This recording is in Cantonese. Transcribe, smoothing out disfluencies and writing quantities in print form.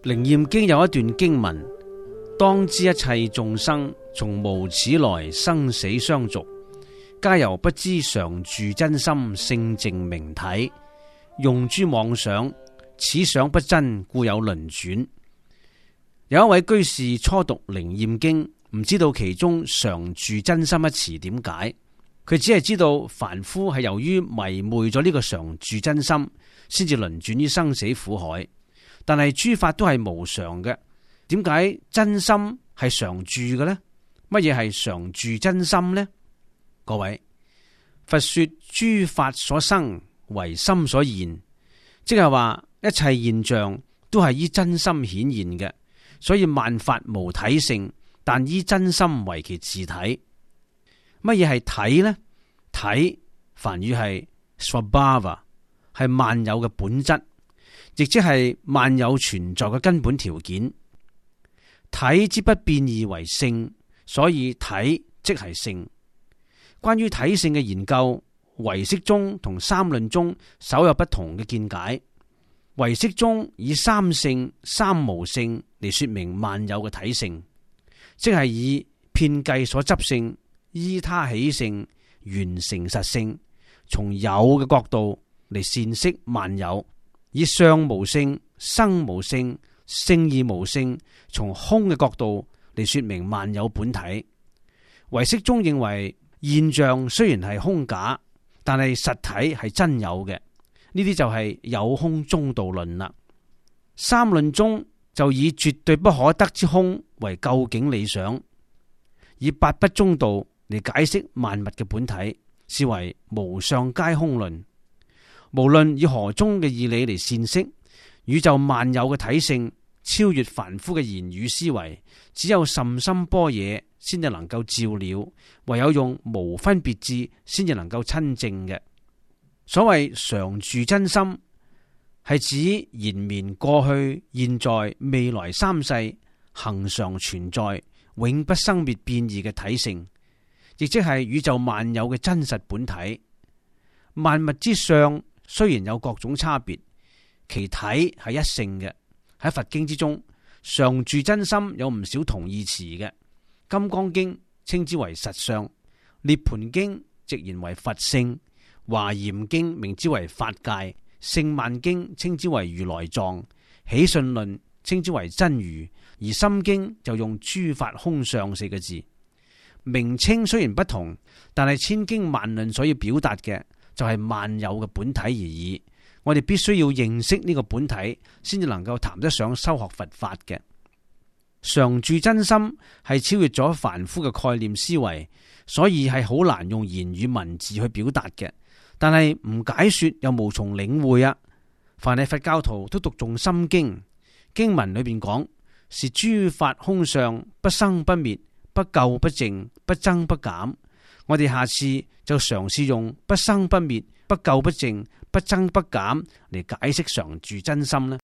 靈驗經有一段經文，當知一切眾生從無始來生死相續，皆由不知常住真心性淨明體，用諸妄想，此想不真，故有輪轉。有一位居士初讀靈驗經，唔知道其中常住真心一詞點解，佢只係知道凡夫係由於迷昧咗呢個常住真心，先至輪轉於生死苦海。但係諸法都係無常嘅，點解真心係常住嘅呢？乜嘢係常住真心呢？各位，佛說諸法所生為心所現，即係話一切現象都係依真心顯現嘅，所以萬法無體性，但依真心為其自體。乜嘢係體呢？體梵語係 Svabhava， 係萬有嘅本質，亦即係萬有存在嘅根本條件。體之不變異為性，所以體即係性。關於體性嘅研究，唯識宗同三論宗稍有不同嘅見解。唯識宗以三性、三無性嚟說明萬有嘅體性，即係以遍計所執性、依他起性、緣成實性，從有嘅角度嚟闡釋萬有。以相無性、生無性、性義無性，從空嘅角度嚟說明萬有本體。唯識宗認為現象雖然係空假，但係實體係真有嘅，呢啲就係有空中道論啦。三論宗就以絕對不可得之空為究竟理想，以八不中道嚟解釋萬物嘅本體，視為無相皆空論。無論以何宗嘅義理嚟闡釋宇宙萬有嘅體性，超越凡夫嘅言語思維，只有甚深般若先至能夠照了，唯有用無分別智先至能夠親證嘅。所謂常住真心，係指延綿過去、現在、未來三世恒常存在、永不生滅變異嘅體性，亦即係宇宙萬有嘅真實本體。萬物之相雖然有各種差別，其體係一性嘅。喺佛經之中，常住真心有唔少同義詞嘅。金剛經稱之為實相，涅槃經直言為佛性，華嚴經名之為法界，聖曼經稱之為如來藏，起信論稱之為真如，而心經就用諸法空相四個字。名稱雖然不同，但係千經萬論所要表達嘅就係萬有嘅本體而已。我哋必須要認識呢個本體，先至能夠談得上修學佛法嘅。常住真心係超越咗凡夫嘅概念思維，所以係好難用言語文字去表達嘅。但係唔解說又無從領會啊！凡係佛教徒都讀誦心經，經文裏邊講是諸法空相，不生不滅，不垢不淨，不增不減。我哋下次就嘗試用不生不滅、不垢不淨、不增不減嚟解釋常住真心啦。